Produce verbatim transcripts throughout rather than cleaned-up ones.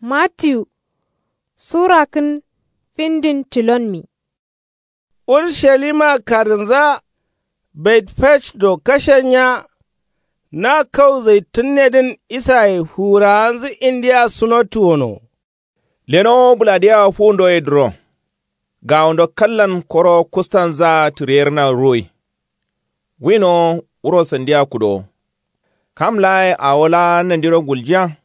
Matiyu sura kǝn findin tilonmi. Urushalima karǝnza, betfej do kashennya. Na kau zaitunnedǝn isaye fuwurawanzǝ indiya sunotu wono. Lenowo bǝladiyea fuwundoye duro. Gawundo kallan koro kustanzaa tǝriyerna ruwoi. Winowo wuro sandiya kudowo. Kam laaye awo laa nandiro guljiya.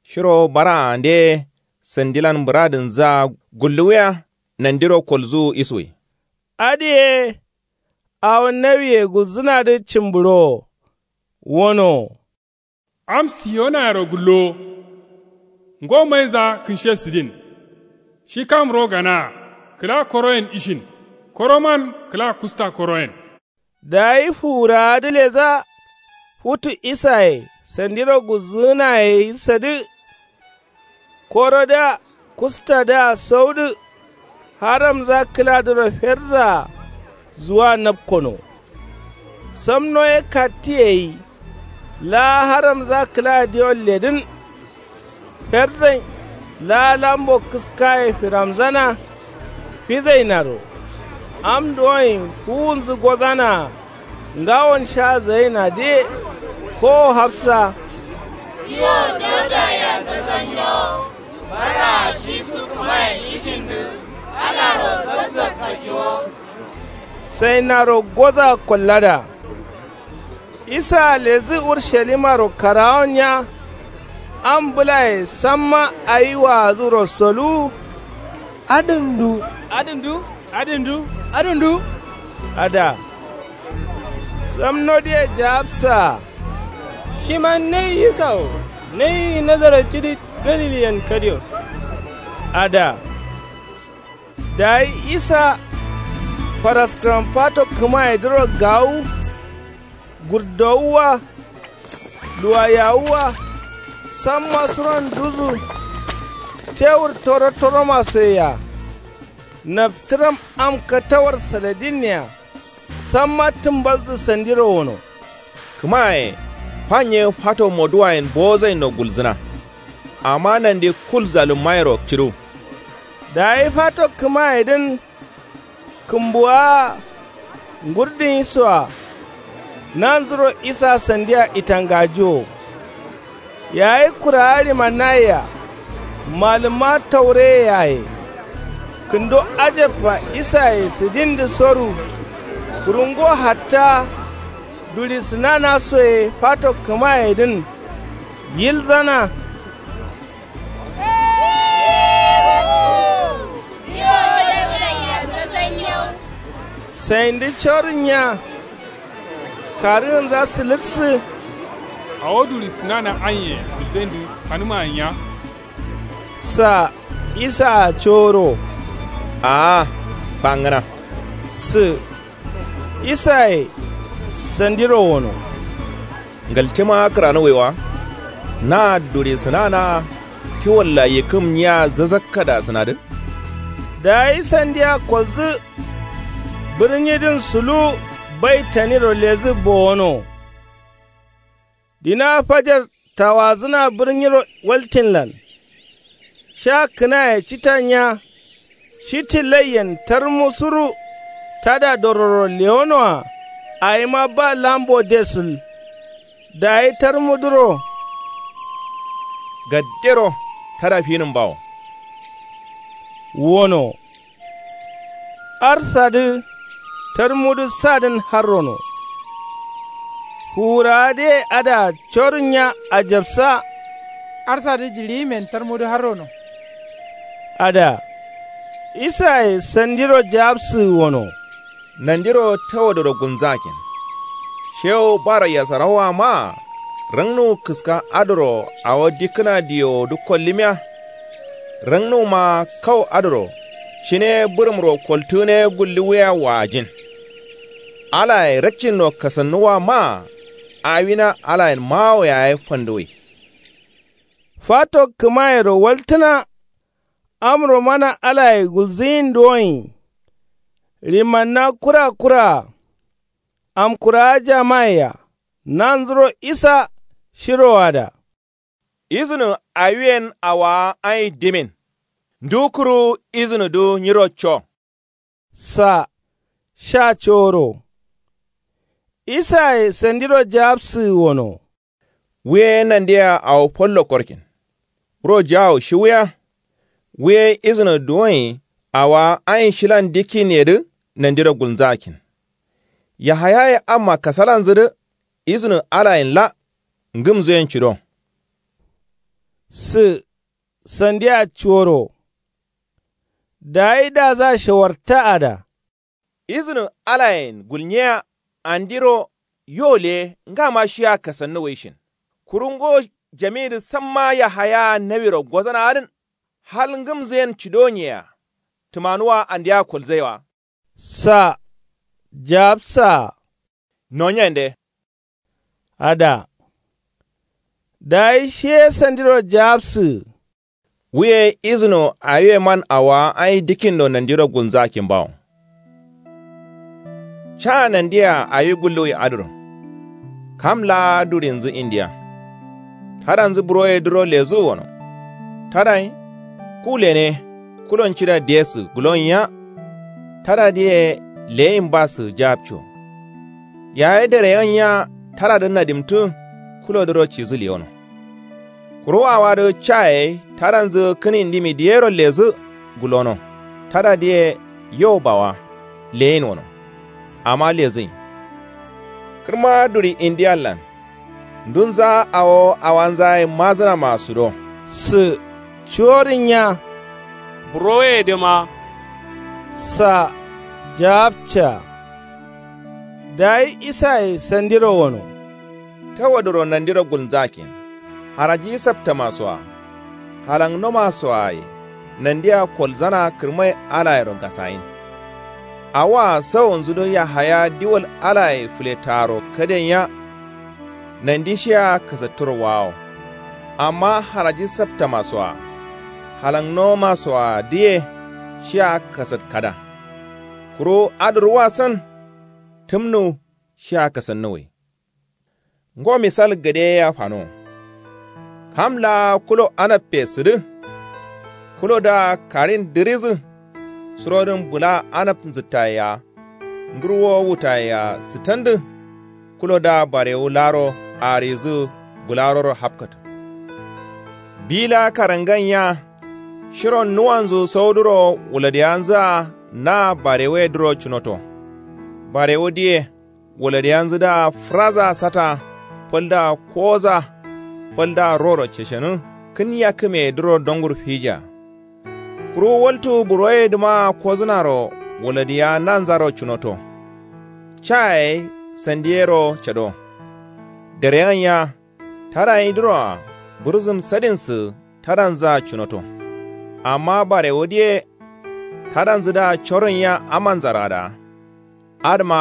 Shiro baraande sandilan bǝradǝnzǝa gulluwiya. Nandiro kolzuwu isuwi. Adǝye awo nawiye gulzǝnadǝ cǝmbǝrowo. Wonowo. Am siyonayero gullowo. Ngo mainza kǝnshe sǝdin. Shi kam ro ganaa kǝla koroyen ishin. Koroman kǝla kusta koroyen. Dayi fuwurawadǝ leza futu isaye sandiro gulzǝgǝnaye ye sadǝ. Korodǝa kustadǝa saudǝ. Haramza kǝladǝro ferdzaa zuwa napkono. Samno ye kattiyeyi. Laa haramza kǝla diwon ledǝn. Ferzain laa lambo kǝskaye firamzana. Fizainaro am duwoin fuwunzǝ gozanaa. Ngawon sha zainadǝ ye kowo hafsa. Yo dauda ya zazzanyawo. Bara shi su kǝmayen ishindǝ. Alaro zazzak kajiwo. Sainaro goza kollada. Isaa lezǝ urushalimaro karawon nya. Am bǝlaye samma ayi waazǝ rosoluwu. Adǝndu adǝndu adǝndu adǝndu. Ada. Samnodǝye jaabsaa. Shiman nai isa wo. Nai nazarat cidi galiliyen kadiyo. Ada. Dayi isa faraskǝram fato kǝmayedǝro gawu. Gurdowuwa. Luwayawuwa. Samma suron duzu. Tewur toro toromasoyea. Naftǝram am katawar saladinnea. Samma tǝmbalzǝ sandiro wono. Kǝmaye fanye fato moduwayen bowozainno gulzǝna. Amma nandi kul zalummayero cǝdu. Dayi fato kǝmayedǝn. Kǝmbuwaa ngurdǝnyisoa. Nanzuro isa sandia itangajiwo. Yayi kurawa ɍimannayea. Malǝmma taureye yaye. Kǝndo ajabba isaye sǝdindǝ soru. Kuru ngo hatta duɍisǝnanasoye fato kǝmayedǝn. Yilzana. Saindǝ corǝnnya. Karǝgǝnza sǝlǝksǝ. Awo duɍisǝnana anye gulzaindǝ sanǝma nya. Sa isaa coro. Aa fangǝna. Sǝ isaye sandiro wono. Ngaltima kǝranǝwwai wa. Na duɍisǝnana ti walla yikkǝm nyiya zazakkada sǝnadǝ. Dayi sandiya kolzǝ. Bǝrnyidǝn suluwu baitaniro lezǝ bowono. Dina fajar tawadzǝna bǝrnyiro waltinlan. Sha kǝnaye cita nya. Shi tillaiyen tarmu suru. Tada dororo lewonoa. Awima ba lambo de sul. Dayi tarmudǝro. Gaddero tada finǝm bawo. Wono. Arsadǝ tarmudǝ sadǝn harrono. Fuwurawadǝye adǝa corǝnnya ajabsa. Arsadǝ jiɍiyimen tarmudǝ harrono. Adǝa isaye sandiro jaabsǝgǝ wono. Nandiro tawadoro gulnzakin. Shewu bara yasarawwa maa. Rǝngnuwu kǝska adǝro awo dikkǝna diwowodǝ kollǝmiya. Rǝngnuwuma kau adǝro cine bǝrǝmro koltǝgǝne gulluwiya waajin. Alaye rakcinno kasannuwa maa. Awina alayen mawo yaye fanduwwi. Fato kǝmayero waltǝna. Amro mana alaye gulzǝyin duwoin. Ɍimanna kura kuraa. Amkurawa jamaye-a nanzuro isa shirowoada. Izǝnǝ awiyen awaa ayi dimin. Ndu kuru izǝnǝdu nyiro co. Sa sha coro. Isaye sandiro jabsǝ wono. Wuye nandiya awo follo korkin. Wuro jawo shiwuya. Wuye izǝnǝ duwonyi awaa ayin shilan dikkin yedǝ nandiro gulnzakin. Yahayaye amma kasalanzǝdǝ izǝnǝ alayin la ngǝmzuyen cido. Sǝ sandiya coro. Dayi daza shawarta ada. Izǝnǝ alayen gulnyeya andiro yo leye ngama shiya kasannu waishin. Kuru ngo jamidǝ samma yahaya nawiro gozana adǝn. Hal ngǝmzǝyen cidonyeya. Tǝmanuwa andeya kolzaiwa. Sa jabsa. Nonyende. Ada. Dayi shiye sandiro jabsǝ. Wuye izǝno awiye man awaa ayi dikkindo nandiro gulnzakin bawo. Ca nandiya awi gulluwi adǝro. Kam laa durinzǝ indiya. Tadanzǝ buroyedǝro lezu wono. Tadai. Ku lene. Kulon cida diyesǝ gulonyiya. Tadadǝye leyin basǝ jabco. Yaye dereyenyiya tadadǝ nadimtǝ. Kulodǝro cizǝ liyono. Kuru awadǝ caye tadanzǝ kǝn indimi diyero lezǝ. Gulono tadadǝye yo bawa leyin wono. Amma lezǝnyi. Kǝrma duri indiyallan. Ndunza awo awanza ye mazǝnama sudo. Sǝ cuworin nya. Buroyedǝma. Sa jabca. Dayi isaye sandiro wono. Tawaduro nandiro gulnzakin. Haraji saptamasoa. Halangnomasoaye nandiya kolzana kǝrmai alayero ngasayin. Awoa sawonzudǝ yahaya diwol alaye fǝletaro kadenyia. Nandi shiya kasatturo wawo. Amma haraji saptamasoa. Halangnomasoadǝye shiya kasat kada. Kuru adǝ ruwasan. Tǝmnu shiya kasannuwai. Ngo misal gade ye ya fano. Kam laa kulo anabbe sǝdǝ. Kulodǝa karin dǝrizǝ. Surodǝn bǝla anab nzǝttaye-a. Ndurwo wutaye-a sǝtandǝ. Kulodǝa barewu laaro arizǝ bǝlaroro hapkatǝ. Bi laa karangan nya. Shiro nuwanzu sauduro wuladiyanzǝa na barewuyedǝro cunoto. Barewudǝye wuladiyanzǝdǝa fǝraza sata. Faldǝa koza. Faldǝa roro ceshenǝ. Kǝn yakkǝmeyedǝro dongur fija. Kuru waltu buroyedǝmaa kozǝnaro wuladiya nanzaro cunoto. Caye sandiyero cado. Dereyan ya. Tadanyidǝroa bǝrzǝm sadinsǝ tadanzǝa cunoto. Amma barewudǝye tadanzǝdǝa corǝn ya amanzara dǝa. Adǝma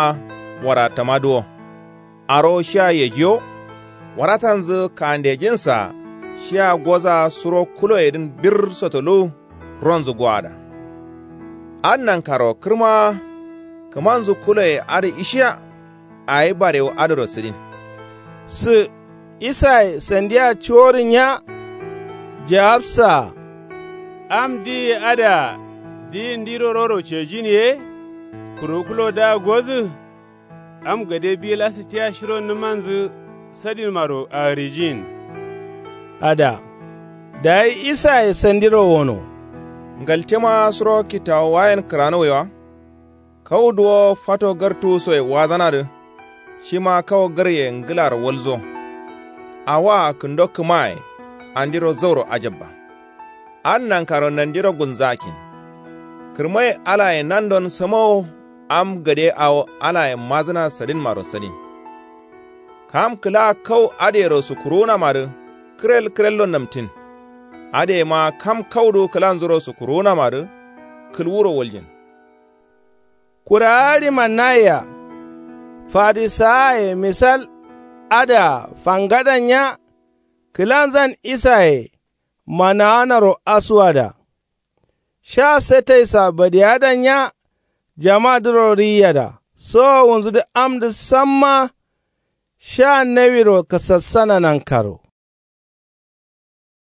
warattamadǝ wo. Arowo shiya yejiyo. Waratanzǝ kandejinsa shiya goza suro kuloyedǝn bir sotoluwu. Ronzǝ goada. Adǝ nankaro kǝrmawa. Kǝmanzǝ kuloye adǝ ishiya. Awi barewu adǝro sǝdin. Sǝ isaye sandiya cuworǝn nya. Jawabsaa. Am diyi adǝa diyi ndiro roro cejin ye. Kuru kulodǝa godǝ. Am gade bi lasǝ tia shiro nǝmanzǝ sadinmaro arijin. Ada. Dayi isaye sandiro wono. Ngaltema suro kitawuwayen kǝranuwaiwa. Kau duwo fato gartuwusoye wazanadǝ. Shima kau garye ngǝlaro walzo. Awoa kǝndo kǝmaye. Andiro zauro ajabba. Adǝ nankaro nandiro gulnzakin. Kǝrmai alaye nandon samawo. Am gade awo alaye mazǝna sadinmaro sadin. Kam kǝla kau adǝyero sukuruwunamadǝ. Kǝrel kǝrello namtin. Adǝyema kam kaudu kǝlanzuro sukuruwunamadǝ. Kǝlwuro waljin. Kurawa ɍimannayeya. Farisawaye misal adǝa fangadan nya. Kǝlanzan isaye manawanaro asuwada. Sha sataisa badiyadan nya. Jamadǝro riyada sowowunzudǝ amdǝ samma. Sha nawiro kasassana nankaro.